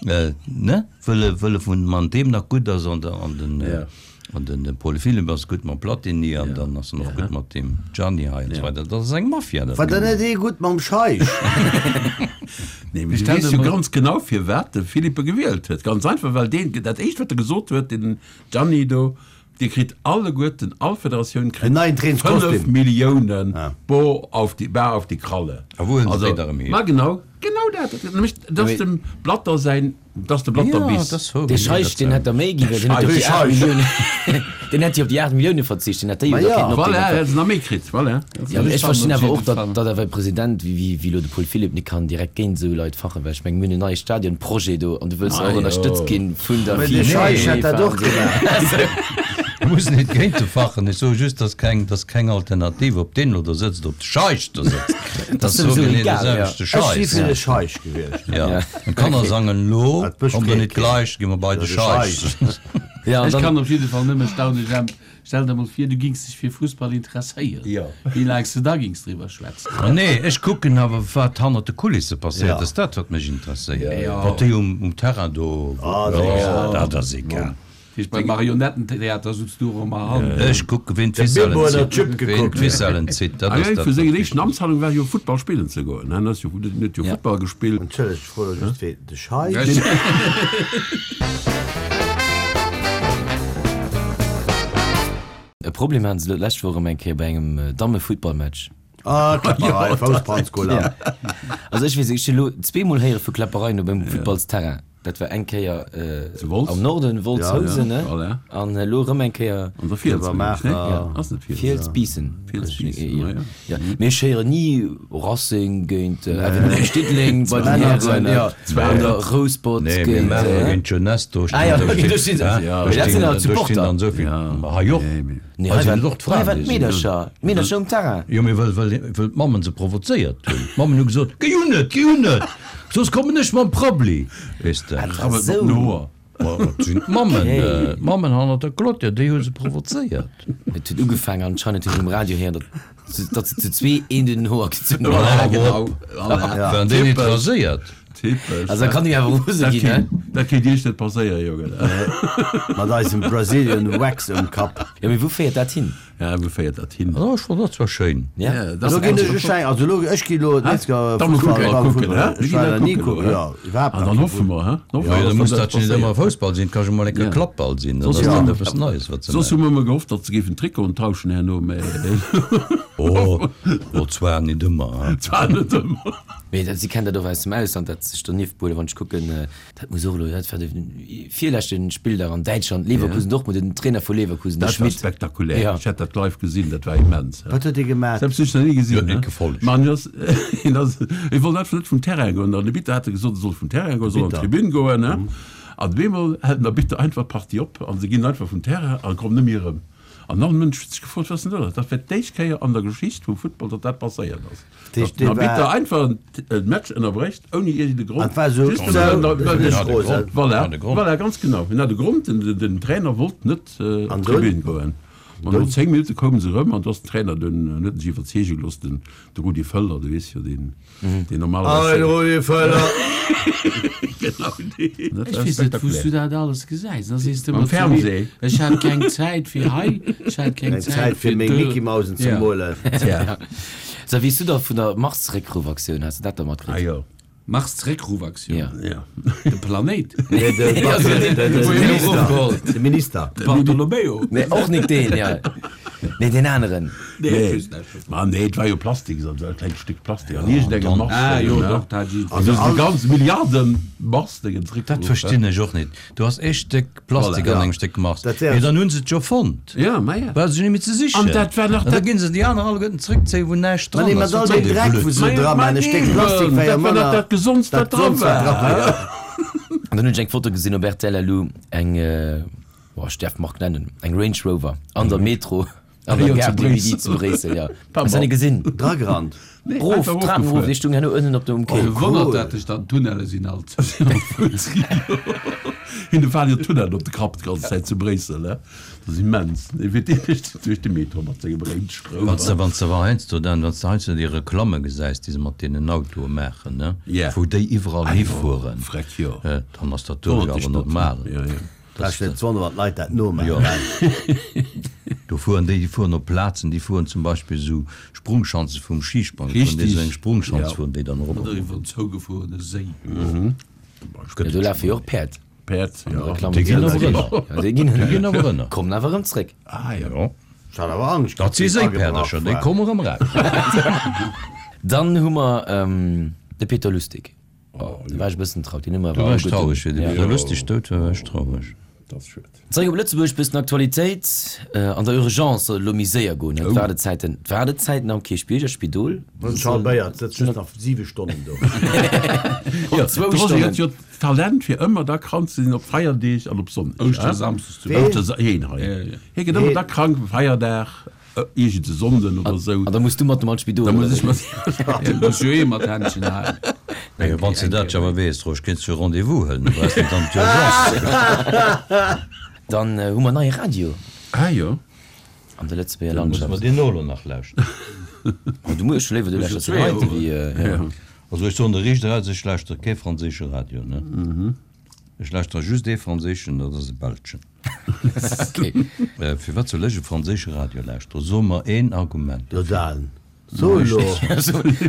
Äh, ne? Wëll e, wëll e vun man deem nach gutt ass an de, an den, Ja. an den, den Paul Philipp ass gutt mam Platini an dann ass en och gutt mat deem Gianni hei an so weider. Dat ass eng Mafia, dat War dann Ganze. net ee gutt mam Scheich? Nee, mee du stell weess dir jo mol- ganz genau, firwat de Philippe gewielt huet. Ganz einfach, well deen, dat éischt, wat e gesot huet, den Gianni do, Dir kritt alleguerten, all Federatioun kritt En neien Trainingskostüm. fënnef Milliounen Ah. Bo auf die, bar auf die Kralle. A wou hunn se Also, déi da erëm hier? ma genau, genau dat. Dat nämlech, dat ass dem Blatter säin, dat ass de Blatter Ja, Biss. dat ass wouer, Dee genee Scheich, dat deen hätt der méi ginn, well deen huet op Dee déi aacht Scheich. Milliounen, deen hätt jo op déi aacht Millioune verzicht, deen hätt déi Ma jo da ja. kéinten Voilà, opdeelen. hätt se nach méi kritt, voilà. Ja, mee ech verstinn Op awer och, jidde datt, Fall. datt awer e President wéi, wéi, wéi elo de Paul Philipp net kann direkt géint esou Leit fachen, well ech meng, mir hunn en neie Stadionprojet do an du wëlls Ah, och jo. ënnerstëtzt ginn vun der Mä dee FIFA, Scheich hätt dat UEFA och an esou. gemaach. Du muss net géint de fachen, ech soe just, dass keng, dass keng Alternativ op deen elo do sëtzt, op de Scheich do sëtzt. Dat ass sowieso sou genee egal, de ja. selwechte Ech si Scheiss. fir de Scheich gewiescht. Ja. Ja. An d'Kanner sangen elo, Dat bëscht kommt der net Kreek. gleich, gi mer bei de De Scheich. Scheich. Ja, an Ech dann, kann op jidde Fall nëmme staunen, Jemp. Stell der mol vir, du gings dech fir Fussball interesséieren. Ja. Wéi laang s de da gings driwwer schwätzen. Ah, nee, ech kucken awer, wat hannert de Kulisse passéiert. Ja. Dat ass dat, wat mech interesséiert. Ja. Wat déi um, um Terrain do, Ah, dat ass egal. dat ass egal. Heescht, beim Marionettentheater sutz du och ëmmer hannen. Ech kucke, ween De Bilbo d'Ficellen huet nach zitt. Chip Ween gekuckt. d'Ficellen zitt, dat Ah, ass ja, dat, vu senger wat éischten Amtshandlung war jo Futtball spillen ze goen. Hien ass jo, huet net jo Ja. Futtball gespillt. Entschëllegt, ech froe just wéi de Scheich. E Problem haten se elo d'lescht Woch erëm eng Kéier bei engem Damme-Futtballmatch. Ah, Kläpperei, Faustbrandskola. Also ech weess, ech hunn elo zweemol héiere vu Kläppereien op engem Futtballsterrain. Dat war eng Kéier Zu Wolz? am Norden, Wolz, Ja, Housen, ne? Voilà. An elo erëm eng Kéier An der Fiels, Iwwer ne? Maacher. Ass net Fiels? Fiels, Biissen. Fiels, Biissen, Ja. ja. Ja. Mee ech héieren ni Racing géint F N Diddeleng bei den Hären, Ja. oder Rouspert Nee, mir géint, maache äh, géint Jeunesse, do Ah ja, stinn, do okay, do stinn, stinn se. hä? Ja, Do dat sinn stinn, awer do stinn d'Supporter. dann esou vill. Ja. Ma hei och. Nee, mee- Nee, Hei hei sinn waren et och d'Fraen, hei waren déi sinn. d'Meedercher, d'Meedercher um Terrain. Jo, mee well, well, well d'Mammen se provozéiert hunn. D'Mammen hu gesot, Géi un net, géi un net, soss kommen ech mam Prabbli. Weess de. Krabbelt Sou. mat den Hoer. Ma, dat sinn d'Mammen, Okay. äh, d'Mammen hannert der Clôture, déi hu se provozéiert. Et huet ugefaangen anscheinend hunn ech um Radio héieren, datt Datt se zu zwee een den Hoer gezunn hunn. Voilà, genau. Voilà. Waren déi net raséiert? Typesch. Also da kann ee awer rose Dat ginn, ne? kéint, dat kéint Iech net passéieren, Jongen. Mat eisem Brazilian Wax um Kapp. Jo, mee wou féiert dat hin? Ja, wou féiert dat hin? Oh, ech fonnt dat zwar schéin. Ja. Ja, dat Lo ass ginn ech, ech fänk, also lo, ech gi lo d'nächst Joer Da muss Fussball, kucken, beim kucken, Fussball. hä? Ech war nach ni kucken, jo, iwwerhaapt An nach dann kee hoffe mer, hä? Dann hoffe Jo, mer, da dass muss dat dat jo net passéiert. ëmmer Foussball sinn, et ka jo mol eng Kéier Ja. Klappball sinn, dann Soss ass hu dat mer, eppes Neies, wat se soss hu maachen. mer ëmmer gehofft, datt se géifen Trikoten tauschen herno, mä Oh, oh, zwar net ëmmer, hä? zwar net ëmmer. Mee dat, si kennen dat och aus dem Ausland, dat sech donieft behuelen. Wann ech kucken, dat muss och elo, dat war de virleschte Spilldag an Däitschland, Leverkusen, Dortmund, den Trainer vu Leverkusen, de Dat war Schmidt. spektakulär. Ja. Ech hat dat live gesinn, dat war immens. Wat huet dee gemaat? Dat hu ech nach ni gesinn. Huet net ne? gefollegt. Ma en ass, en ass, e wollt einfach net vum Terrain goen. An de Bitter hat e gesot, e soll vum Terrain goen, soll an Bitter. d'Tribün goen. Ne? An op eemol hält den Arbitter einfach d'Partie op an se ginn einfach vum Terrain a kommen net méi erëm. An all Mënsch huet sech gefrot, wat ass denn do lass? Dat wär d'éischt Kéier an der Geschicht vum Futtball, datt dat passéiert ass. Dat heescht, Datt den dee war- Arbitter einfach en, e Match ënnerbrécht, ouni iergende Grond. An et war esou, Just sou, well en- dat well ass den- net rosen. Voilà, Hat e Grond. voilà, ganz genau. En hat e Grond, den, den, den Trainer wollt net äh, op An d'Tribün dunn? goen. An no zéng Minutte koume se erëm an du ass den Trainer dunn, huet en sech iwwerzeege gelooss, den, de Rudi Völler, du weess jo, deen, deen normalerweis. Ein Rudi Völler! Genau deen. Dat Ech war weess net, wou s du spektakulär. dat alles gesäis. Da sees de Am ëmmer zu mir, Fernseh. ech hat keng Zäit fir hei, ech hat keng Keng Zäit fir fir meng do. Mickey Mausen ze Ja. molen. Tja. So, wéi s du da vun der Mars-Réckruffaktioun, has de dat da Ah matkritt? jo. Mars-Réckruffaktioun? Ja. Ja. De Planéit? Nee, de, de, de, de Minister. De Minister. Bartolomeo? Nee, och nik deen, ja. Nee, deen aneren. Nee, Nee. ech weess net. Ma nee, et war jo Plastik, dat war e klengt Stéck Plastik. An iergendengem Mars. Ah jo, ne? doch, dat si. Also déi ganz Milliarden Mars-Déngen zréckgeruff. Dat verstinn ech och net. Du has ee Stéck Plastik Voilà. an engem Stéck Mars. Dat wär- Mee dann hunn se et jo fonnt. Ja, ma ja. Brauche se net méi ze sichen. An dat war nach An da dat- ginn se déi aner alleguerten zréckzéien, wou näischt Ma dran nee, ass. mat all Wat soll deem dee Dreck, wou Blödsinn? se Ma dra ma maachen, e Stéck eben, Plastik wär jo dat war nach manner. dat Gesondst, Dat wat dra Gesondst, wat dra war. war, ja. An dann hunn ech eng Foto gesinn op R T L elo, eng, boah, ech däerf d'Mark nennen, eng Range Rover an der Metro an der Jo, zu Gare du Midi Bréissel. zu Bréissel, ja. Pardon. Hast du net gesinn? Dragerannt. Nee, Rof, einfach Trapen rof, rofgefuer. déi stung herno ënnen op dem Quai. Oh, wonnert dat dech dann, d'Tunnelle sinn alt zou. Hinne falen jo d'Tunnellen op de Kapp d'ganz Zäit zu Bréissel, ne? Dat ass immens. Dee fiert direkt duerch de Metro mat sengem Range Wann s de, Rover. wann s de awer heiansdo dann, wann s de heiansdo déi Reklamme gesäis, déi se mat deenen Autoe maachen, ne? Ja. Wou déi iwwerall Ah jo, hifueren, freck, jo. dann ass dat do Wonnert awer dech net. normal. Ja, ja. Brauchst net ze wonneren, wann d'Leit dat nomaachen. Jo. Do fueren déi, déi fueren op Plazen, déi fueren zum Beispill esou Sprungschanze vum Schisprangen, fueren déi Richtig. esou eng Sprungschanz, Ja. fueren déi dann erop. Oder iwwer en zougefuerene Séi. Ja, do lafe jo och Päerd. Päerd, ja. Reklamm Déi ginn awer Ja, ënner. déi ginn Déi ginn awer ënner. Kommen awer erëm zréck. Ah jo. Jo. Ech hat awer Angscht, Dat si datt déi agebrach Séipäerdercher, déi war. komme erëm eraus. Dann hu mer de Peter Lustig. Oh, do war ech e bëssen traurig. Deen hu mer Do awer war ech alleguerten. traureg, wéi de Ja. Peter Lustig dout war, war ech traureg. Dat ass schued. Zeréck op Lëtzebuerg, bëssen Aktualitéit. An der Urgence soll et elo méi séier goen, ne? D'Waardezäiten, d'Waardezäiten am Kierchbierger Spidol Den Charles Beyer sëtzt just nach siwe Stonnen do. Ja, zwou De Roger Stonnen. huet jo d'Talent fir ëmmer da krank ze sinn op Feierdeeg an op Sonndeg. Ouschtersamsdes zum Ween? Ouschtersa-, heen hei. Ja, ja. Hie gëtt ëmmer da krank, Feierdag, iergend e Sonnden oder sou. An da muss du mat dem an d'Spidol, Da muss oder ech wéi? mat. Ja, muss jo ee mat Händchen halen. Jo, wann s de dat awer weess, Rosch, kéints du e Rendez-vous huelen, da brauchs net an d'Urgence ze goen. Dann hu mer neie Radio Ah jo. an der Lëtzebuerger Dann musse mer Landschaft. deen och elo nach lauschteren. Oh, du muss scho léiwer, du lauschters den heite wéi, ja. Also ech soen der riicht eraus, ech lauschtere kee franséische Radio, ne. Ech lauschtere just ee franséischen, dat ass e belschen. Okay. Firwat soll ech e franséische Radio lauschteren? So mer een Argument Jo, dofir. Dan, so elo.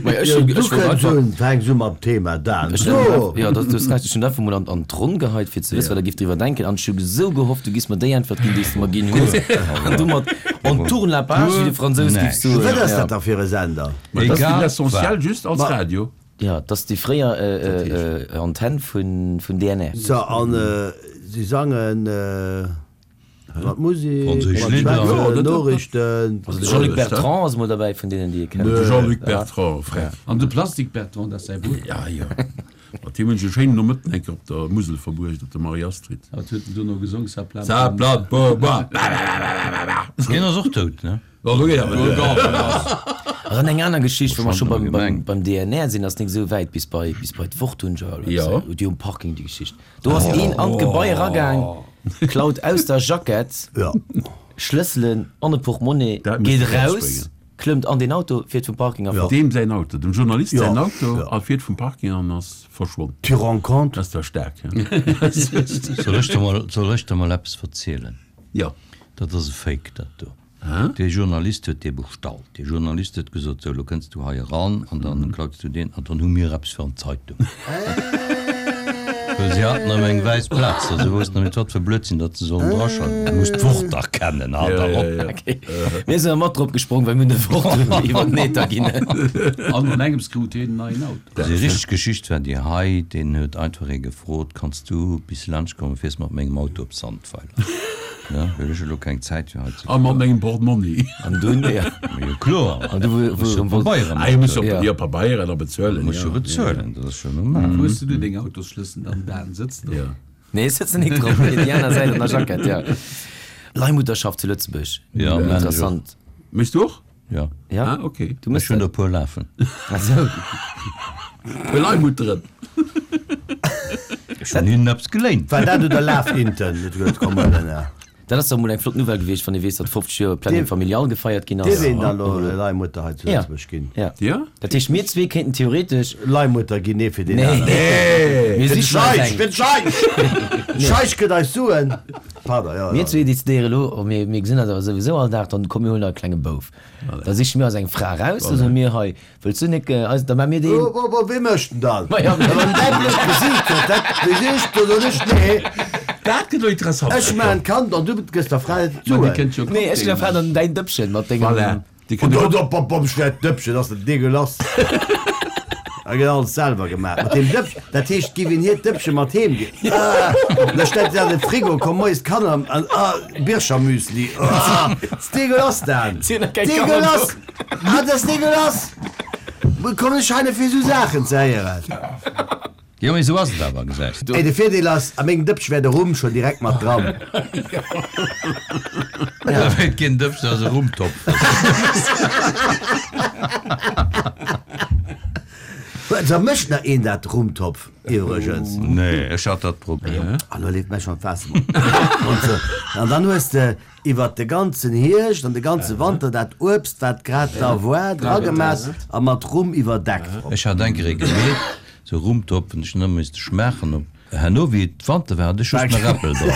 Ma ech Jo, hu, du ech wollt kënns einfach. un, fänks u mam Thema, Dan. Ech So! hunn, jo, du hues Recht, ech hunn einfach mol an, an d'Ronn geheit, fir ze wëssen, wat der giff driwwer denken. An ech hu esou gehofft, du giss mer déi Äntwert ginn, déi s du mer ginn hues. An domat on tourne la page, wéi de Fransous giff soen. Wat ass Ja. dat da fir e Sender? Ma dat ass Egal l'essentiel wat. just als Ma- Radio. Ja, dat ass déi fréier Antenn vun, vun D N R. So, an si sangen mat Musek, Franséisch mat Lidder. Schwätzen, Jo, dat- dat- Noriichten. Also de Jean-Luc Bertrand ass mol derbäi, vun deenen, déi ee kennt. De Jean-Luc Bertrand, frère. An de Plastik Bertrand, dat ass säi Brudder. Ja, jo. Mat him hunn ech e schéinen Nomëtten eng Kéier op der Musel verbruecht, op der Marie-Astrid. Wat huet en dono gesong? Ça plane Ça plane pour moi. Ba, ba, ba, ba, ba, ba. Deen ass och dout, ne? Bon, do geet awer duer. An dann eng aner Geschicht, wou mer scho beim, beim, Gemeng. beim D N R sinn, ass nik esou wäit bis bei, bis bei d'Wort hunn ech awer Ja. déi um Parking, déi Geschicht. Do ass een an d'Gebai eragaang, klaut aus der Jackett Ja. Schlësselen an e Portemonnaie, Dat misst geet de raus rausbréngen. klëmmt an deen Auto, fiert vum Parking a fort. Deem säin Auto, dem Journalist Ja, säin Auto, ja. a fiert vum Parking an ass verschwonn. Tu rends compte? Dat ass zwar staark, ja. Soll ech der mol, soll ech der mol eppes verzielen? Ja. Dat ass e Fake, dat do. Dee Journalist huet dee bestallt. Dee Journalist huet gesot, sou, lo kënns du hei eran an dann klaus du deen an dann hu mir eppes fir an d'Zeitung. Well si haten erëm eng wäiss Plaz, a se woussten net, wat fir Blödsinn datt se sollen draschreiwen. Du muss d'Wort dach kennen, halt dach op! Okay. Mir sinn awer mat drop gesprong, well mir hunn de Wort iwwer den Äther ginn. An an engems krut hien en neien Auto. Déi richteg Geschicht war déi hei, Deen huet einfach ee gefrot, Kanns du bis laanscht kommen, fiers mat mengem Auto op Sandweiler? Ja, well ech elo keng Zäit fir hei ze A mat mengem Portmonni. An dunn, ja. Jo, kloer. An du, wou, Muss jo wou, Pabeieren Ah, jo, muss jo, Ja. jo, Pabeieren a bezuelen, Muss jo ja. bezuelen, dat ass jo normal. Wou hues du du deng Autosschlëssel dann, Dan? Sëtzt drop? Ja. Nee, ech sëtzen nik drop, mee déi aner Säit an der Jackett, ja. Leihmutterschaft zu Lëtzebuerg. Ja, man ech och. Interessant. Méchs du och? Ja. Ja? Ah, okay. Du méchs Ech hunn dat? der e puer lafen. Ach sou. Puer Leihmutteren. Ech hunn hinnen eppes geléint. War dat oder Laf-Inten? Dat huet komm, Elena. Dat ass dach emol eng flott Nouvelle gewiescht, wann ee weess, datt fofzeg Joer Planning Familial gefeiert ginn ass. Dierf een dann elo Leihmutter hei zu Lëtzebuerg ginn? Ja. Ja? Dat heescht, mir zwee kéinten theoretesch. Leihmutter ginn, nee fir deen Nee. aneren. Mir Fir de sichen eis Scheich, eng. fir de Scheich! Scheich gëtt eis Suen. Pardon, jo, Mir jo. zwee decidéiere elo, oh, mir, mir gesinn eis awer souwisou all Dag, dann komm mir huelen e klenge Bouf. Da siche mir eis eng Fra eraus, da soe mir, hei, wëlls du nik eis, da maache mir deen. Wo, wo, wo, wee mécht en dann? Ma ja, Wann däi blöd Gesiicht huet, dat weess ech, do soen ech nee. Dat gëtt elo interessant. Ech maachen d'Kand an du gëss der Fra Ma déi d'Suen. kënnt jo Nee, ech ginn der Fra dann däin Dëppchen mat dengem. Voilà. Déi Und kënnt do, och. do, bom, bom, schwert Dëppchen, das ist degueulasse. Da gëtt alles selwer gemaach. Mat dem Dëppchen, dat heescht, giff een hiert Dëppchen mat heem ginn. Ah, da stellt se an den Frigo, komm moies d'Kanner an, ah, Birchermüsli. Ah, ist degueulasse, Dan. Si hunn nach keng Kanner Degueulasse! Ah, das ist degueulasse! Wo kommen ech heine fir sou Saachen ze héieren? Jo, mee sou ass et awer, gesäis de. Ey, de Virdeel ass, a mengem Dëppche wär de Rum schon direkt mat dran. Da wär et keen Dëppchen, dat ass e Rumtopf. Da mécht nach een dat Rumtopf iwwregens. Nee, ech hat dat probéiert. Ah, lo leeft mär schon d'Waasser am Mond. An dann hues de iwwert de ganzen Hierscht an de ganze Wanter dat Uebst, wat grad da war, dragemaach a mat Rum iwwerdeckt. Ech hat eng Kéier ee gemeet, sou Rumtopf, an ech hunn ëmmer misste schmaachen op. Herno wéi et Wanter war, hat ech just nach Äppel dran.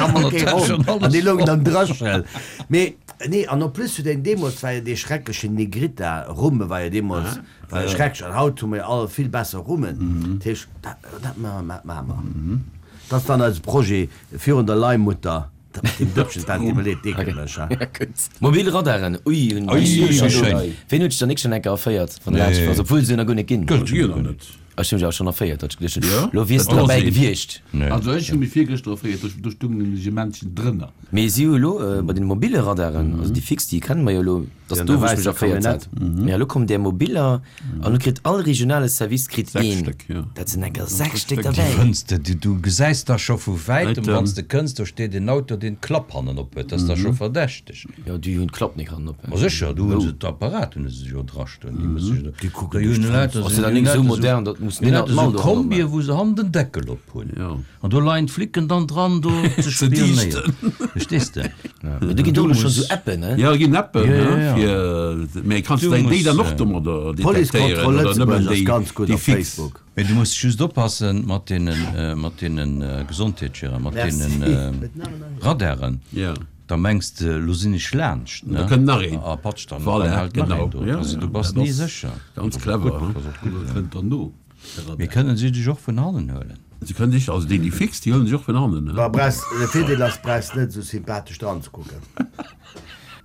An Dat hat schon An déi alles loungen dann dréchen. Mee nee, an en plus zu den deemools war jo dee schrecklechen Negrita Rum war jo deemools war jo schrecklech. An haut hu mir all vill besser Rummen. Dat heescht, dat, dat maache mer, maache mer. Dat ass dann eise Projet virun der Leihmutter. Dat mat deem Dëppchen, dat deet mir leed, deekeleg, ha. Ja, gutt. Mobil Radaren, ui, hunn Ui, déi wéi schon do. schéin. Ween huet sech dann nik schon eng Kéier erféiert, wann der Nee. laanscht ass, obwuel se jo nach guer net ginn. Gëtt jo nach net. Ech hunn mech awer schonn erféiert, datt ech geduecht hunn, Ja? lo wiers Dat du ass derbäi een. gewiescht. Nee. Also ech hu mech virgëschter erféiert, do, do stoung nämlech e Männchen drënner. Mee si hu elo bei den mobile Radaren, also déi fix, déi kenne mer jo elo, dat Ja, ass do, an wou der ech mech wäisser erféiert hat. Camionnette. Mee elo kommen där mobiller an elo kritt all regionale Service kritt Sechs een. Stéck, ja. Dat sinn enker sechs Stéck Déi derbäi. fënns de, du, du gesäis da scho vu wäitem, Wäitem. wann s de kënns, do steet en Auto, deen d'Klapp hannen op huet, dat ass da scho verdächteg. Jo, déi hunn d'Klapp nik hannen op. Ma sécher, do hu se d'Apparat, hunn se jo drastoen, déi musse jo. Déi kucken Da hunn duerch Leit, Ass jo dann nik esou modern, dat muss Déi den lauter Mal esou do Kombie, hanner wou se hannen den Deckel op hunn. Ja. An do leien d'Flicken dann dran, do ze spionéieren. Verstees de? Mee do ginn do elo schonn esou Appen, ne? Ja, ginn Appen, Ja, ne, ja, ja. fir, mee kanns Du du déi muss, dann och äh, domadder D'Policekontroll detektéieren oder Lëtzebuerg nëmmen ass déi, ganz gutt déi op fix? Facebook. Mee du muss just oppassen mat deenen, mat deenen Gesondheetsschirmer, mat Merci. deenen Radaren. Ja. Da mengs de, lo sinn ech laanscht, ne? Da kënnt nach een. A patsch dann, Voilà, dann hält nach genau. een do. Ja, Also ja. du bass Dat ni ass sécher. Ganz clever, Gutt, he? pass op, gutt, kënnt dann no. Mee kënnen si dech och vun hannen huelen? Si kënnen sech, also déi, déi fix, déi huelen sech och vun hannen, ne? Bah, brauchs, de Virdeel ass, brauchs net esou sympathesch dran ze kucken.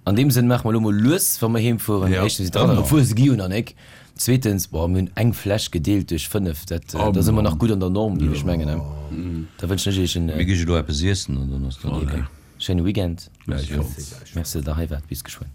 An deem Sënn maache mer elo mol lues, wa mer heem fueren. Ja. Éischtens, déi Radaren, obwuel se gi jo nach nik. Zweetens, boah, mir hunn eng Fläsch gedeelt duerch fënnef, dat, Oh da si mer Mann. nach gutt an der Norm, géif ech mengen, ne? Da wënschen ech iech en Mir gi elo eppes iessen an dann ass dat ok. schéine Weekend. Gläichfalls. Merci, datt der hei waart. Bis geschwënn.